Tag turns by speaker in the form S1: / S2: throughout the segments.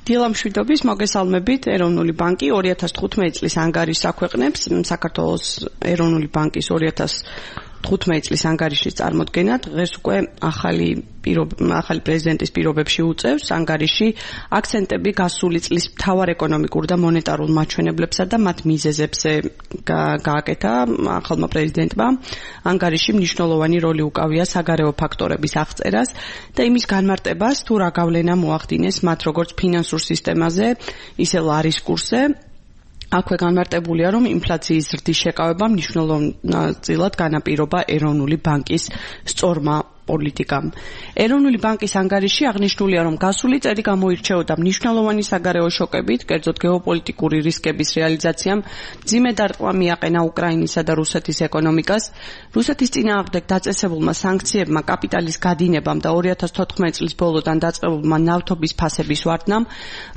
S1: დილამშვიდობის, მოგესალმებით. ეროვნული ბანკი 2015 წლის ანგარიშს აქვეყნებს საქართველოს ეროვნული ბანკის 2015 წლის ანგარიშის წარმოდგენად. დღეს უკვე ახალი პრეზიდენტის პირობებში უწევს ანგარიში აქცენტები გასული წლის მთავარ ეკონომიკურ და მონეტარულ მაჩვენებლებსა და მათ მიზეზებზე გააკეთა ახალმა პრეზიდენტმა. ანგარიში მნიშვნელოვანი როლი უკავია საგარეო ფაქტორების აღწერას და იმის განმარტებას, თუ რა გავლენა მოახდინეს მათ როგორც ფინანსურ სისტემაზე, ისე ლარის კურსზე. აქვე განმარტებულია, რომ ინფლაციის ზრდის შეკავება მნიშვნელოვნად განაპირობა ეროვნული ბანკის სწორმა პოლიტიკამ. ეროვნული ბანკის ანგარიში აღნიშნულია, რომ გასული წელი გამოირჩეოდა მნიშვნელოვანი საგარეო შოკებით, კერძოდ გეოპოლიტიკური რისკების რეალიზაციამ მძიმე დარტყმა მიაყენა უკრაინისა და რუსეთის ეკონომიკას. რუსეთის წინააღმდეგ დაწესებულმა სანქციებმა, კაპიტალის გადინებამ და 2014 წლის ბოლოდან დაწყებულმა ნავთობის ფასების ვარდნამ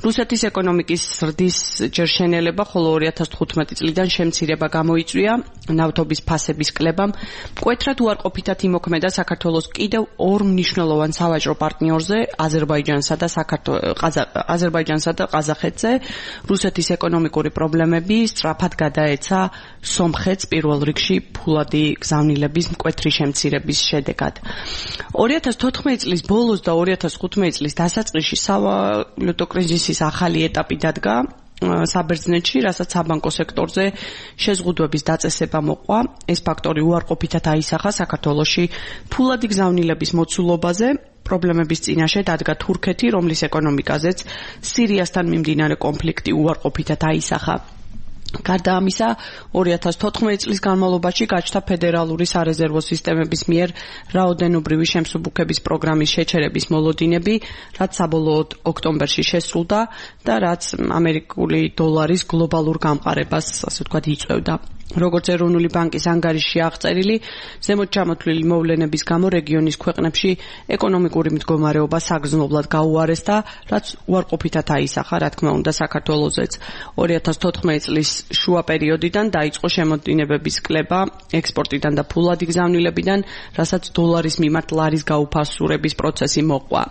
S1: რუსეთის ეკონომიკის ზრდის ჯერ შენელება, ხოლო 2015 წლიდან შემცირება გამოიწვია. ნავთობის ფასების კლებამ მკვეთრად უარყოფითად იმოქმედა საქართველოს კიდევ ორ მნიშვნელოვან სავაჭრო პარტნიორზე, აზერბაიჯანსა და ყაზახეთზე. რუსეთის ეკონომიკური პრობლემები სწრაფად გადაეცა სომხეთს პირველ რიგში ფულადი გზავნილების მკვეთრი შემცირების შედეგად. 2014 წლის ბოლოს და 2015 წლის დასაწყისში სავალუტო კრიზისის ახალი ეტაპი დადგა საბერძნეთში, რასაც საბანკო სექტორზე შეზღუდვების დაწესება მოყვა. ეს ფაქტორი უარყოფითად აისახა საქართველოში ფულადი გზავნილების მოცულობაზე. პრობლემების წინაშე დადგა თურქეთი, რომლის ეკონომიკაზეც სირიასთან მიმდინარე კონფლიქტი უარყოფითად აისახა. გარდა ამისა, 2014 წლის განმავლობაში გაჩნდა ფედერალური სარეზერვო სისტემების მიერ რაოდენობრივი შემსუბუქების პროგრამის შეჩერების მოლოდინები, რაც საბოლოოდ ოქტომბერში შესრულდა და რაც ამერიკული დოლარის გლობალურ გამყარებას, ასე ვთქვათ, იწვევდა. როგორც ეროვნული ბანკის ანგარიში აღწერილი, ზემოთ ჩამოთვლილი მოვლენების გამო რეგიონის ქვეყნებში ეკონომიკური მდგომარეობა საგრძნობლად გაუარესდა, რაც უარყოფითად აისახა, რა თქმა უნდა, საქართველოსაც. 2014 წლის შუა პერიოდიდან დაიწყო შემოდინებების კლება ექსპორტიდან და ფულადი გზავნილებიდან, რასაც დოლარის მიმართ ლარის გაუფასურების პროცესი მოყვა.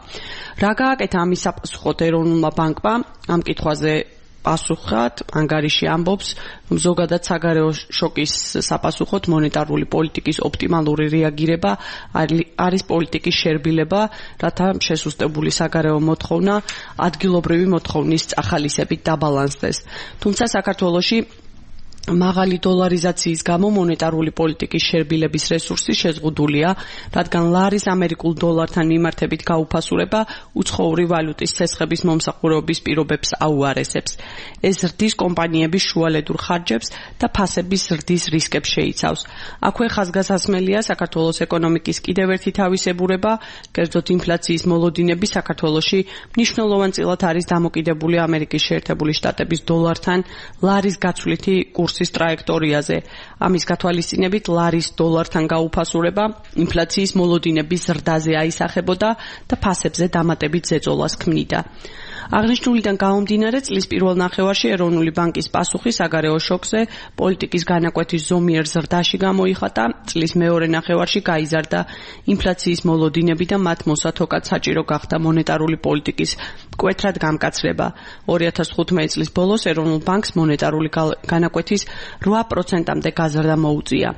S1: რა გააკეთა ამის საპასუხოდ ეროვნულმა ბანკმა? ამ კითხვაზე პასუხად ანგარიში ამბობს, რომ ზოგადად საგარეო შოკის საპასუხოდ მონეტარული პოლიტიკის ოპტიმალური რეაგირება არის პოლიტიკის შერბილება, რათა შესუსტებული საგარეო მოთხოვნა ადგილობრივი მოთხოვნის ახალისებით დაბალანსდეს. თუმცა საქართველოში მაღალი დოლარიზაციის გამო მონეტარული პოლიტიკის შერბილების რესურსი შეზღუდულია, რადგან ლარის ამერიკულ დოლართან მიმართებით გაუფასურება უცხოური ვალუტის ცეცხლების მომსახურების პირობებს აუარესებს. ეს ზრდის კომპანიების შუალედურ ხარჯებს და ფასების ზრდის რისკებს შეიცავს. აქვე ხაზგასასმელია საქართველოს ეკონომიკის კიდევ ერთი თავისებურება, კერძოდ ინფლაციის მოლოდინები საქართველოში მნიშვნელოვანწილად არის დამოკიდებული ამერიკის შეერთებული შტატების დოლართან ლარის გაცვლითი კურსის ტრაექტორიაზე. ამის გათვალისწინებით ლარის დოლართან გაუფასურება ინფლაციის მოლოდინების ზრდაზე აისახებოდა და ფასებზე დამატებით ზეწოლას ქმნიდა. აღნიშნულიდან გამომდინარე, წლის პირველ ნახევარში ეროვნული ბანკის პასუხი საგარეო შოკზე პოლიტიკის განაკვეთის ზომიერ ზრდაში გამოიხატა. წლის მეორე ნახევარში გაიზარდა ინფლაციის მოლოდინები და მათ მოსათოკად საჭირო გახდა მონეტარული პოლიტიკის მკვეთრად გამკაცრება. 2015 წლის ბოლოს ეროვნულ ბანკს მონეტარული განაკვეთის 8%-მდე გაზრდა მოუწია.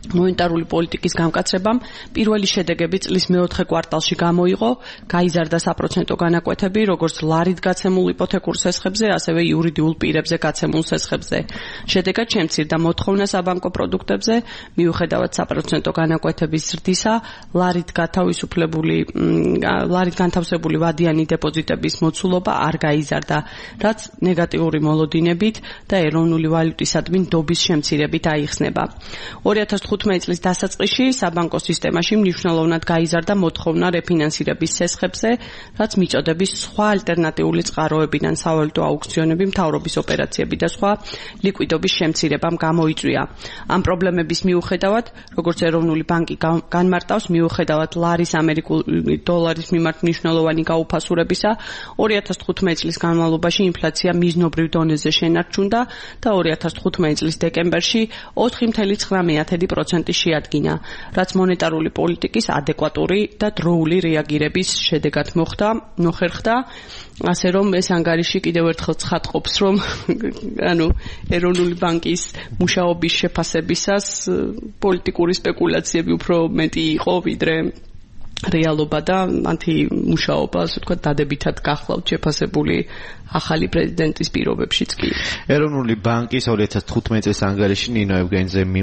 S1: მონეტარული პოლიტიკის გამკაცრებამ პირველი შედეგები წლის მეოთხე კვარტალში გამოიღო, გაიზარდა საპროცენტო განაკვეთები, როგორც ლარით გაცემულ იპოთეკურ სესხებზე, ასევე იურიდიულ პირებზე გაცემულ სესხებზე. შედეგად შემცირდა მოთხოვნა საბანკო პროდუქტებზე, მიუხედავად საპროცენტო განაკვეთების ზრდისა, ლარით განთავსებული ვადიანი დეპოზიტების მოცულობა არ გაიზარდა, რაც ნეგატიური მოლოდინებით და ეროვნული ვალუტისადმი ნდობის შემცირებით აიხსნება. 2015 წლის დასაწყისში საბანკო სისტემაში მნიშვნელოვნად გაიზარდა მოთხოვნა რეფინანსირების სესხებზე, რაც მიწოდების სხვა ალტერნატიული წყაროებიდან სავალუტო აუქციონები, მთავრობის ოპერაციები და სხვა ლიკვიდობის შემცირებამ გამოიწვია. ამ პრობლემების მიუხედავად, როგორც ეროვნული ბანკი განმარტავს, მიუხედავად ლარის ამერიკული დოლარის მიმართ მნიშვნელოვანი გაუფასურებისა, 2015 წლის განმავლობაში ინფლაცია მიზნობრივ დონეზე შენარჩუნდა და 2015 წლის დეკემბერში 4.9% 3% შეადგინა, რაც მონეტარული პოლიტიკის ადეკვატური და დროული რეაგირების შედეგად მოხერხდა, ასე რომ ეს ანგარიში კიდევ ერთხელ ცხადყოფს, რომ ეროვნული ბანკის მუშაობის შეფასებისას პოლიტიკური სპეკულაციები უფრო მეტი იყო ვიდრე რეალობა და მათი მუშაობა, ასე ვთქვათ, დადებითად გახლავთ შეფასებული ახალი პრეზიდენტის პირობებშიც კი.
S2: ეროვნული ბანკის 2015 წლის ანგარიში ნინო ევგენიძე